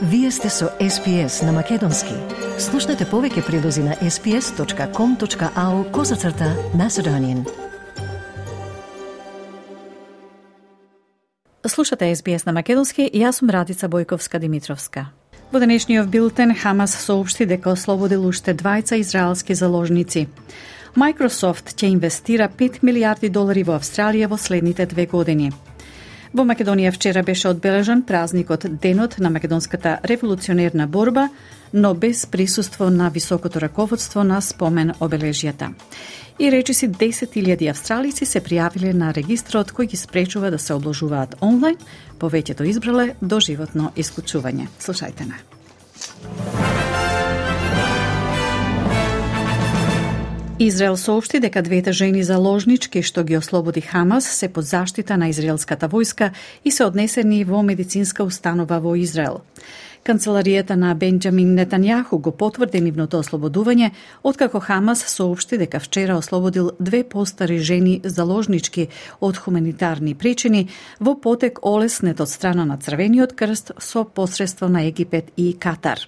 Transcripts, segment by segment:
Вие сте со SPS на Македонски. Слушнете повеќе прилози на sps.com.au/Macedonian. Слушате SBS на Македонски и јас сум Радица Бојковска-Димитровска. Во денешниот билтен Хамас соопшти дека ослободил уште 2 израелски заложници. Microsoft ќе инвестира $5 милиарди во Австралија во следните 2 години. Во Македонија вчера беше одбележан празникот Денот на македонската револуционерна борба, но без присуство на високото раководство на спомен обележјата. И речиси 10.000 австралици се пријавиле на регистрот кој ги спречува да се обложуваат онлайн, повеќето избрале доживотно исклучување. Слушајте на. Израел соопшти дека 2 жени заложнички што ги ослободи Хамас се под заштита на израелската војска и се однесени во медицинска установа во Израел. Канцеларијата на Бенџамин Нетањаху го потврди нивното ослободување, откако Хамас соопшти дека вчера ослободил 2 постари жени заложнички од хуманитарни причини во потек олеснет од страна на Црвениот крст со посредство на Египет и Катар.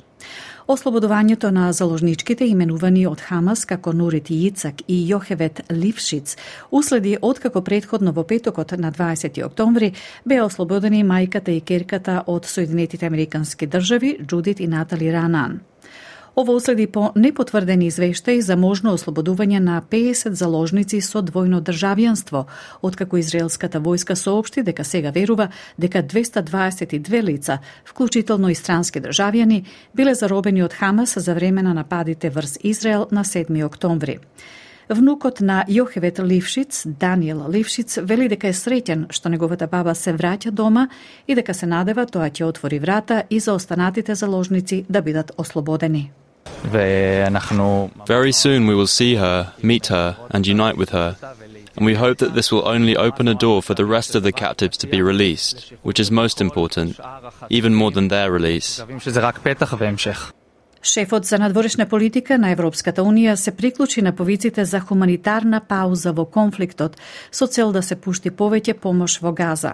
Ослободувањето на заложничките, именувани од Хамас како Нурит Јицак и Јохевет Лившиц, уследи откако претходно во петокот на 20 октомври беа ослободени мајката и керката од Соединетите Американски држави, Џудит и Натали Ранан. Ово уследи по непотврдени извештаи за можно ослободување на 50 заложници со двојно државјанство, откако израелската војска соопшти дека сега верува дека 222 лица, вклучително и странски државјани, биле заробени од Хамас за време на нападите врз Израел на 7 октомври. Внукот на Јохевет Лившиц, Даниел Лившиц, вели дека е среќен што неговата баба се враќа дома и дека се надева тоа ќе отвори врата и за останатите заложници да бидат ослободени. Very soon we will see her, meet her, and unite with her. And we hope that this will only open a door for the rest of the captives to be released, which is most important, even more than their release. Шефот за надворешна политика на Европската Унија се приклучи на повиците за хуманитарна пауза во конфликтот со цел да се пушти повеќе помош во Газа.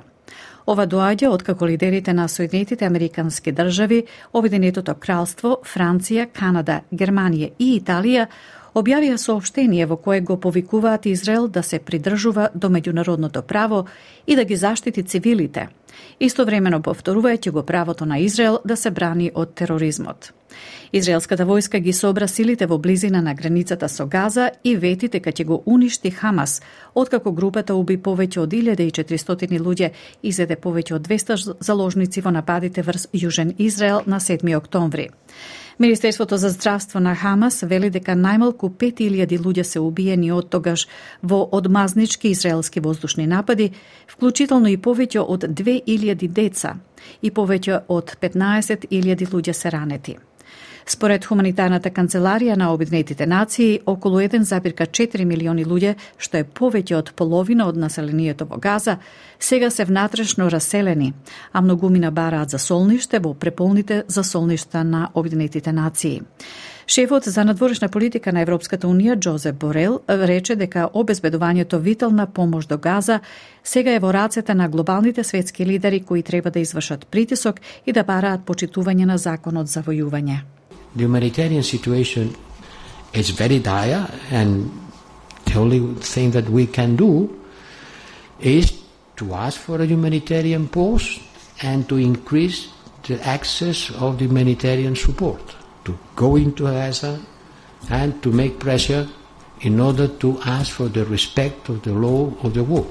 Ова доаѓа откако лидерите на Соединетите Американски држави, Обединетото кралство, Франција, Канада, Германија и Италија објавија соопштение во кое го повикуваат Израел да се придржува до меѓународното право и да ги заштити цивилите, истовремено повторувајќи го правото на Израел да се брани од тероризмот. Израелската војска ги собра силите во близина на границата со Газа и вети дека ќе го уништи Хамас, откако групата уби повеќе од 1400 луѓе и зеде повеќе од 200 заложници во нападите врз Јужен Израел на 7 октомври. Министерството за здравство на Хамас вели дека најмалку 5000 луѓе се убиени од тогаш во одмазнички израелски воздушни напади, вклучително и повеќе од 2000 деца и повеќе од 15.000 луѓе се ранети. Според хуманитарната канцеларија на Обединетите нации, околу 1,4 милиони луѓе, што е повеќе од половина од населението во Газа, сега се внатрешно раселени, а многумина бараат за солниште во преполните засолништа на Обединетите нации. Шефот за надворешна политика на Европската Унија, Джозеп Борел, рече дека обезбедувањето витална помош до Газа сега е во рацете на глобалните светски лидери кои треба да извршат притисок и да бараат почитување на законот за војување. The humanitarian situation is very dire, and the only thing that we can do is to ask for a humanitarian pause and to increase the access of the humanitarian support, to go into Gaza and to make pressure in order to ask for the respect of the law of the war.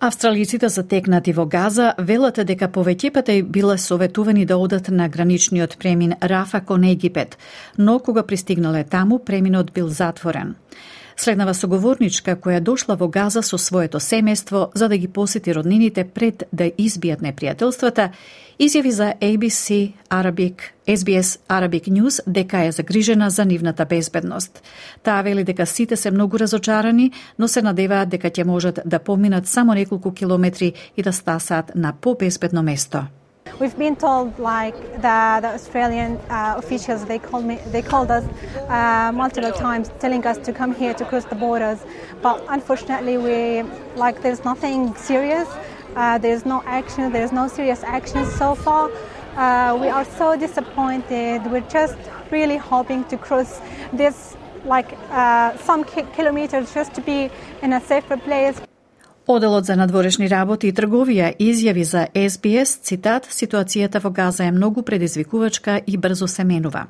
Австралиците затекнати во Газа велат дека повеќепата биле советувани да одат на граничниот премин Рафа кон Египет, но кога пристигнале таму, преминот бил затворен. Следнава соговорничка која дошла во Газа со своето семејство за да ги посети роднините пред да избијат непријателствата, изјави за SBS Arabic News дека е загрижена за нивната безбедност. Таа вели дека сите се многу разочарани, но се надеваат дека ќе можат да поминат само неколку километри и да стасаат на побезбедно место. We've been told, like the Australian officials, they called us multiple times, telling us to come here to cross the borders. But unfortunately, there's nothing serious. There's no action. There's no serious action so far. We are so disappointed. We're just really hoping to cross this some kilometers just to be in a safer place. Оделот за надворешни работи и трговија изјави за SBS, цитат, ситуацијата во Газа е многу предизвикувачка и брзо се менува.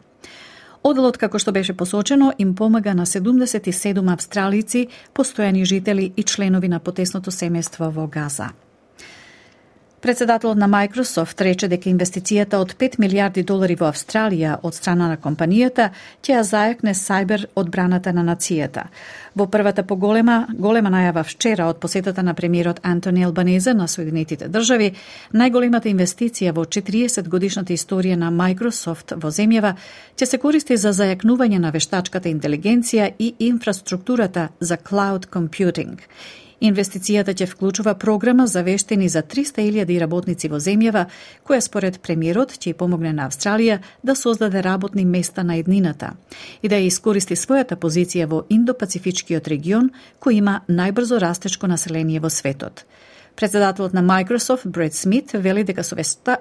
Оделот, како што беше посочено, им помага на 77 австралици, постојани жители и членови на потесното семејство во Газа. Председателот на Microsoft рече дека инвестицијата од $5 милиарди во Австралија од страна на компанијата ќе ја зајакне сајбер одбраната на нацијата. Во првата поголема најава вчера од посетата на премиерот Антони Албанезе на Соединетите држави, најголемата инвестиција во 40 годишната историја на Microsoft во земјава ќе се користи за зајакнување на вештачката интелигенција и инфраструктурата за cloud computing. Инвестицијата ќе вклучува програма за вештини за 300.000 работници во земјава, која според премиерот ќе помогне на Австралија да создаде работни места на еднината и да ја искористи својата позиција во Индо-Пацифичкиот регион, кој има најбрзо растечко население во светот. Председателот на Microsoft, Бред Смит, вели дека со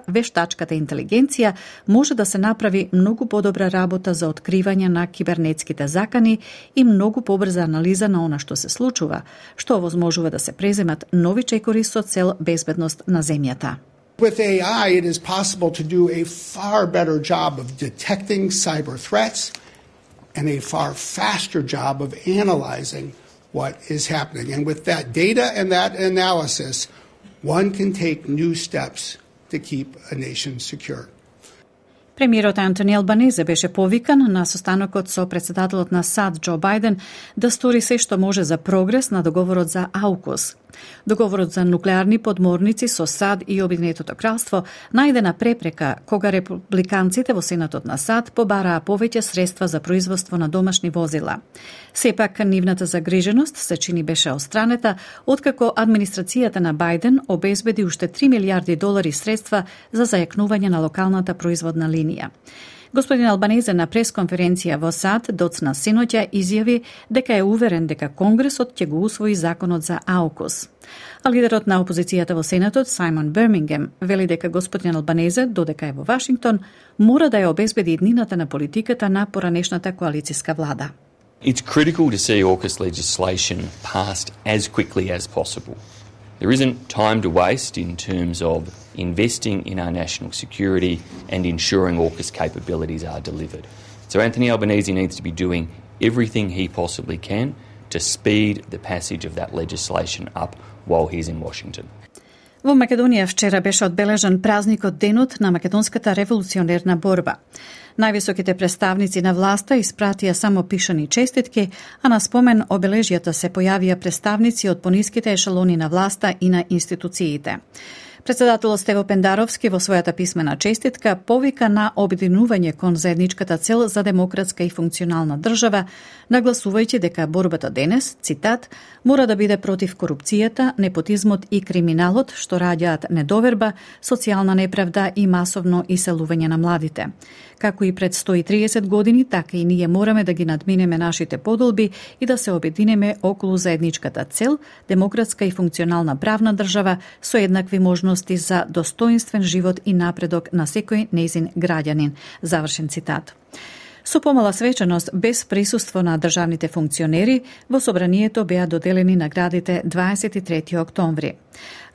вештачката интелигенција може да се направи многу подобра работа за откривање на кибернетските закани и многу побрза анализа на она што се случува, што овозможува да се преземат нови чекори со цел безбедност на земјата. With AI, it is possible to do a far better job of detecting cyber threats and a far faster job of analyzing what is happening. And with that data and that analysis, one can take new steps to keep a nation secure. Премиерот Антони Албанезе беше повикан на состанокот со председателот на САД Џо Бајден да стори се што може за прогрес на договорот за AUKUS. Договорот за нуклеарни подморници со САД и Обединетото кралство најдена препрека кога републиканците во Сенатот на САД побараа повеќе средства за производство на домашни возила. Сепак, нивната загриженост се чини беше остранета, откако администрацијата на Бајден обезбеди уште $3 милиарди средства за зајакнување на локалната производна линија. Господин Албанезе на пресконференција во САД доцна синоќа изјави дека е уверен дека Конгресот ќе го усвои законот за AUKUS. А лидерот на опозицијата во Сенатот, Сајмон Бирмингем, вели дека господин Албанезе, додека е во Вашингтон, мора да ја обезбеди иднината на политиката на поранешната коалициска влада. It's critical to see AUKUS legislation passed as quickly as possible. There isn't time to waste in terms of investing in our national security and ensuring AUKUS capabilities are delivered. So Anthony Albanese needs to be doing everything he possibly can to speed the passage of that legislation up while he's in Washington. Во Македонија вчера беше одбележан празникот Денот на македонската револуционерна борба. Највисоките представници на власта испратија само пишани честитки, а на спомен обележјата се појавија представници од пониските ешелони на власта и на институциите. Председателот Стево Пендаровски во својата писмена честитка повика на обединување кон заедничката цел за демократска и функционална држава, нагласувајќи дека борбата денес, цитат, мора да биде против корупцијата, непотизмот и криминалот што раѓаат недоверба, социјална неправда и масовно иселување на младите. Како и пред 130 години, така и ние мораме да ги надминеме нашите подолби и да се обединеме околу заедничката цел, демократска и функционална правна држава со еднакви можности за достоинствен живот и напредок на секој нејзин граѓанин. Завршен цитат. Со помала свеченост, без присуство на државните функционери, во собранието беа доделени наградите 23 октомври.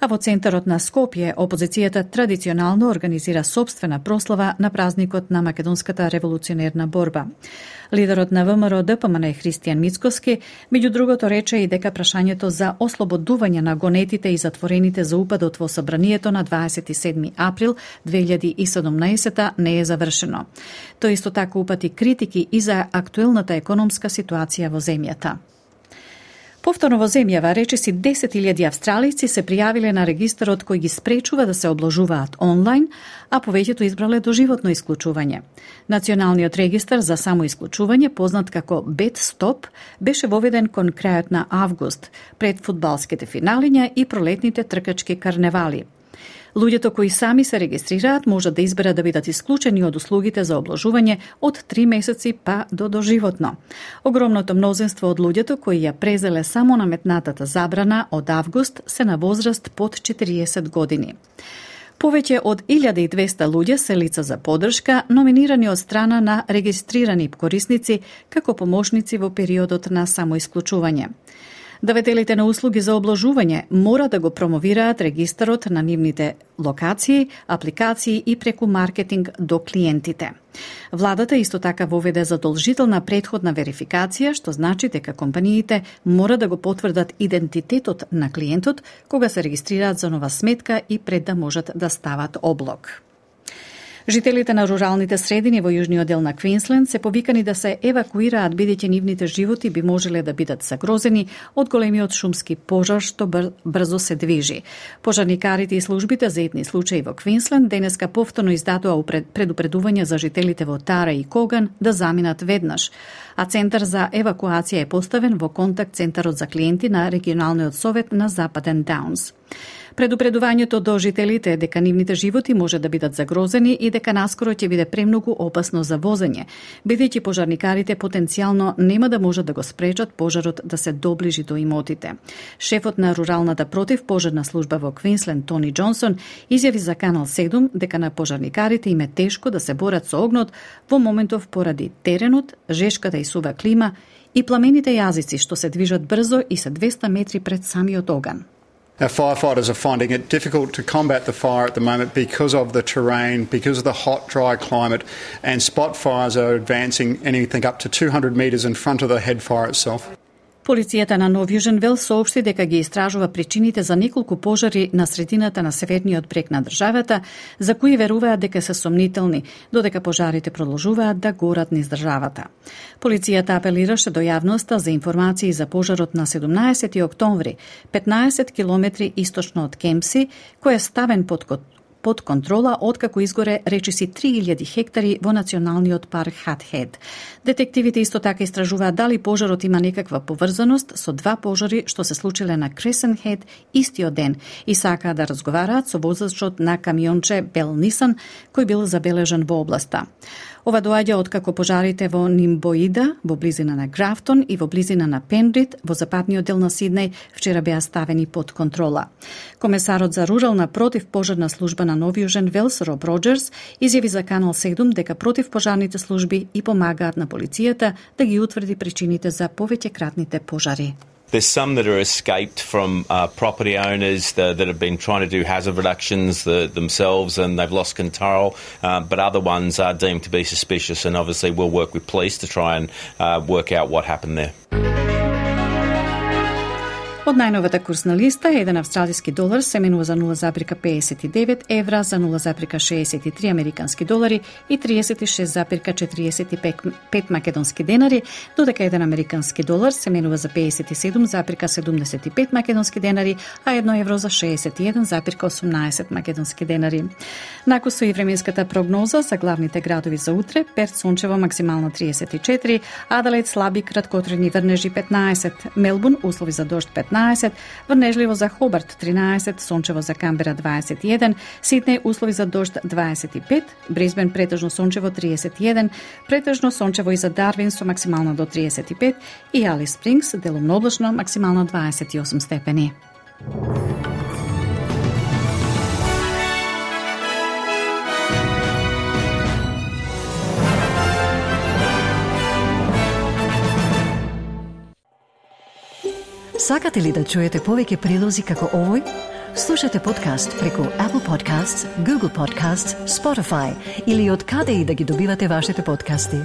А во центарот на Скопје, опозицијата традиционално организира собствена прослава на празникот на македонската револуционерна борба. Лидерот на ВМРО ДПМН Христијан Мицкоски, меѓу другото, рече и дека прашањето за ослободување на гонетите и затворените за упадот во собранието на 27 април 2017 не е завршено. Тој исто така упати критики и за актуелната економска ситуација во земјата. Повторно во земјава, речиси 10.000 австралици се пријавиле на регистарот кој ги спречува да се облажуваат онлайн, а повеќето избрале доживотно исклучување. Националниот регистар за самоисклучување, познат како BedStop, беше воведен кон крајот на август, пред фудбалските финалиња и пролетните тркачки карневали. Луѓето кои сами се регистрираат можат да изберат да бидат исклучени од услугите за обложување од 3 месеци па до доживотно. Огромното мнозинство од луѓето кои ја презеле само наметнатата забрана од август се на возраст под 40 години. Повеќе од 1200 луѓе се лица за поддршка, номинирани од страна на регистрирани корисници како помошници во периодот на самоисклучување. Давателите на услуги за обложување мора да го промовираат регистарот на нивните локации, апликации и преку маркетинг до клиентите. Владата исто така воведе задолжителна претходна верификација, што значи дека компаниите мора да го потврдат идентитетот на клиентот кога се регистрираат за нова сметка и пред да можат да стават облог. Жителите на руралните средини во јужниот дел на Квинсленд се повикани да се евакуираат бидејќи нивните животи би можеле да бидат загрозени од големиот шумски пожар што брзо се движи. Пожарникарите и службите за етни случаи во Квинсленд денеска повторно издадоа предупредување за жителите во Тара и Коган да заминат веднаш, а центар за евакуација е поставен во контакт центарот за клиенти на регионалниот совет на Западен Даунс. Предупредувањето до жителите дека нивните животи може да бидат загрозени и дека наскоро ќе биде премногу опасно за возење, бидејќи пожарникарите потенцијално нема да можат да го спречат пожарот да се доближи до имотите. Шефот на руралната противпожарна служба во Квинсленд, Тони Џонсон, изјави за Канал 7 дека на пожарникарите им е тешко да се борат со огнот во моментов поради теренот, жешката и сува клима и пламените јазици што се движат брзо и се 200 метри пред самиот оган. Our firefighters are finding it difficult to combat the fire at the moment because of the terrain, because of the hot, dry climate, and spot fires are advancing anything up to 200 metres in front of the head fire itself. Полицијата на Нов Јужен Вел соопшти дека ги истражува причините за неколку пожари на средината на северниот брег на државата, за кои веруваат дека се сомнителни, додека пожарите продолжуваат да горат низ државата. Полицијата апелираше до јавноста за информации за пожарот на 17 октомври, 15 километри источно од Кемпси, кој е ставен под контрола откако изгоре речиси 3000 хектари во националниот парк Хатхед. Детективите исто така истражуваат дали пожарот има некаква поврзаност со два пожари што се случиле на Кресен Хед истиот ден и сакаат да разговараат со возачот на камионче Бел Нисан кој бил забележан во областа. Ова доаѓа откако пожарите во Нимбоида, во близина на Графтон и во близина на Пенрид, во западниот дел на Сиднеј, вчера беа ставени под контрола. Комесарот за рурална противпожарна служба на Нов Јужен Велс, Роб Роџерс, изјави за Канал 7 дека противпожарните служби и помагаат на полицијата да ги утврди причините за повеќекратните пожари. There's some that are escaped from property owners that have been trying to do hazard reductions themselves and they've lost control, but other ones are deemed to be suspicious and obviously we'll work with police to try and work out what happened there. Од најновата курсна листа, еден австралиски долар се менува за 0,59 евра, за 0,63 американски долари и 36,45 македонски денари, додека еден американски долар се менува за 57,75 македонски денари, а 1 евро за 61,18 македонски денари. Накусо и временската прогноза за главните градови за утре: Перт сончево максимално 34, Аделаид слаби краткотрени врнежи 15, Мелбурн услови за дожд 15, врнежливо за Хобарт 13, сончево за Камбера 21, Сиднеј услови за дожд 25, Брисбен претежно сончево 31, претежно сончево и за Дарвин со максимално до 35 и Алис Спрингс делумно облачно максимално 28 степени. Сакате ли да чуете повеќе прилози како овој? Слушате подкаст преку Apple Podcasts, Google Podcasts, Spotify или од каде и да ги добивате вашите подкасти.